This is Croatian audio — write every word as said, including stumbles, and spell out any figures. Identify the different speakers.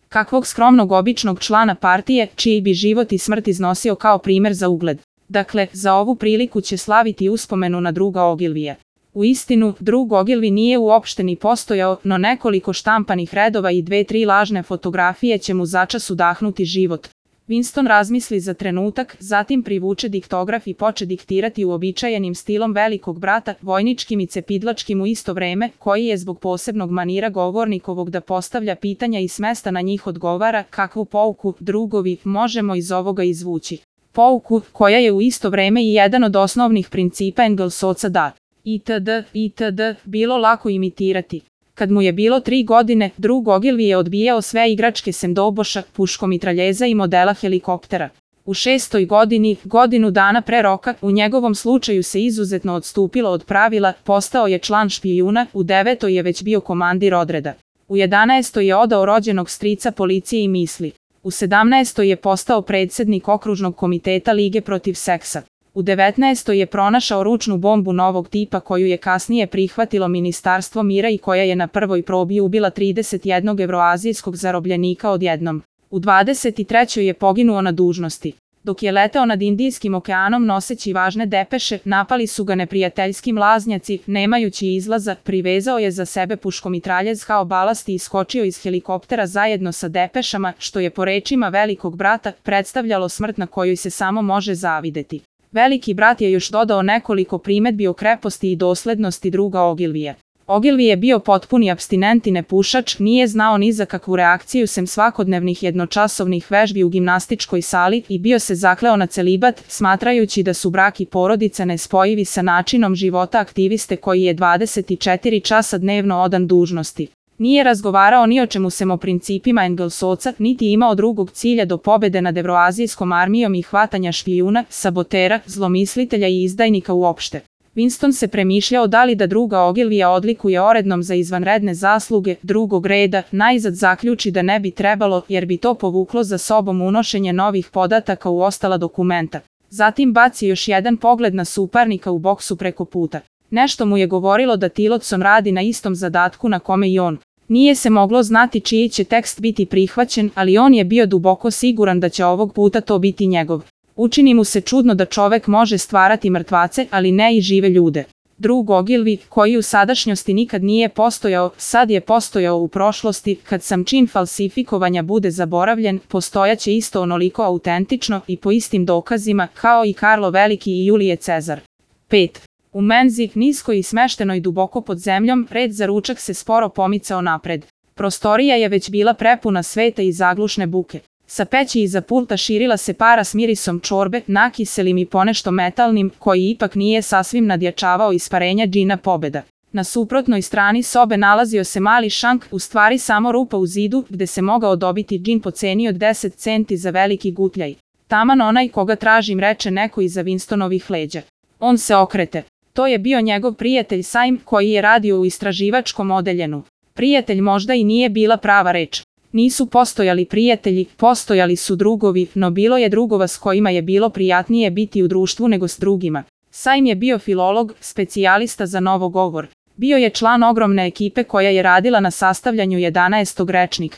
Speaker 1: Kakvog skromnog običnog člana partije, čiji bi život i smrt iznosio kao primer za ugled. Dakle, za ovu priliku će slaviti uspomenu na druga Ogilvija. U istinu, drug Ogilvy nije uopšte ni postojao, no nekoliko štampanih redova i dve tri lažne fotografije će mu začas udahnuti život. Winston razmisli za trenutak, zatim privuče diktograf i poče diktirati uobičajenim stilom velikog brata, vojničkim i cepidlačkim u isto vreme, koji je zbog posebnog manira govornikovog da postavlja pitanja i s mesta na njih odgovara, kakvu pouku, drugovi, možemo iz ovoga izvući. Pouku, koja je u isto vreme i jedan od osnovnih principa Engelsovca da itd. itd. bilo lako imitirati. Kad mu je bilo tri godine, drug Ogilvy je odbijao sve igračke sem doboša, puškomitraljeza i modela helikoptera. U šestoj godini, godinu dana pre roka, u njegovom slučaju se izuzetno odstupilo od pravila, postao je član špijuna, u devetoj je već bio komandir odreda. U jedanaestoj je odao rođenog strica policije i misli. U sedamnaestoj je postao predsjednik okružnog komiteta Lige protiv seksa. U devetnaestoj je pronašao ručnu bombu novog tipa koju je kasnije prihvatilo Ministarstvo mira i koja je na prvoj probi ubila trideset jednog evroazijskog zarobljenika odjednom. U dvadeset trećoj je poginuo na dužnosti. Dok je leteo nad Indijskim okeanom noseći važne depeše, napali su ga neprijateljski mlaznjaci, nemajući izlaza, privezao je za sebe puškomitraljez kao balast i iskočio iz helikoptera zajedno sa depešama, što je po rečima velikog brata predstavljalo smrt na kojoj se samo može zavideti. Veliki brat je još dodao nekoliko primedbi o kreposti i doslednosti druga Ogilvija. Ogilvy je bio potpuni apstinent i nepušač, nije znao ni za kakvu reakciju sem svakodnevnih jednočasovnih vežbi u gimnastičkoj sali i bio se zakleo na celibat, smatrajući da su brak i porodica nespojivi sa načinom života aktiviste koji je dvadeset četiri časa dnevno odan dužnosti. Nije razgovarao ni o čemu sem o principima Engelsovca, niti imao drugog cilja do pobede nad evroazijskom armijom i hvatanja špijuna, sabotera, zlomislitelja i izdajnika uopšte. Winston se premišljao da li da druga Ogilvya odlikuje orednom za izvanredne zasluge drugog reda, najzad zaključi da ne bi trebalo, jer bi to povuklo za sobom unošenje novih podataka u ostala dokumenta. Zatim baci još jedan pogled na suparnika u boksu preko puta. Nešto mu je govorilo da Tillotson radi na istom zadatku na kome i on. Nije se moglo znati čiji će tekst biti prihvaćen, ali on je bio duboko siguran da će ovog puta to biti njegov. Učini mu se čudno da čovek može stvarati mrtvace, ali ne i žive ljude. Drug Ogilvy, koji u sadašnjosti nikad nije postojao, sad je postojao u prošlosti, kad sam čin falsifikovanja bude zaboravljen, postojaće isto onoliko autentično i po istim dokazima, kao i Karlo Veliki i Julije Cezar. pet. U menzi, niskoj i smeštenoj duboko pod zemljom, red za ručak se sporo pomicao napred. Prostorija je već bila prepuna sveta i zaglušne buke. Sa peći iza pulta širila se para s mirisom čorbe, nakiselim i ponešto metalnim, koji ipak nije sasvim nadjačavao isparenja džina Pobeda. Na suprotnoj strani sobe nalazio se mali šank, u stvari samo rupa u zidu, gde se mogao dobiti džin po ceni od deset centi za veliki gutljaj. Taman onaj koga tražim, reče neko iza Winstonovih leđa. On se okrete. To je bio njegov prijatelj Syme, koji je radio u istraživačkom odeljenu. Prijatelj možda i nije bila prava reč. Nisu postojali prijatelji, postojali su drugovi, no bilo je drugova s kojima je bilo prijatnije biti u društvu nego s drugima. Syme je bio filolog, specijalista za novogovor. Bio je član ogromne ekipe koja je radila na sastavljanju jedanaestog rečnika.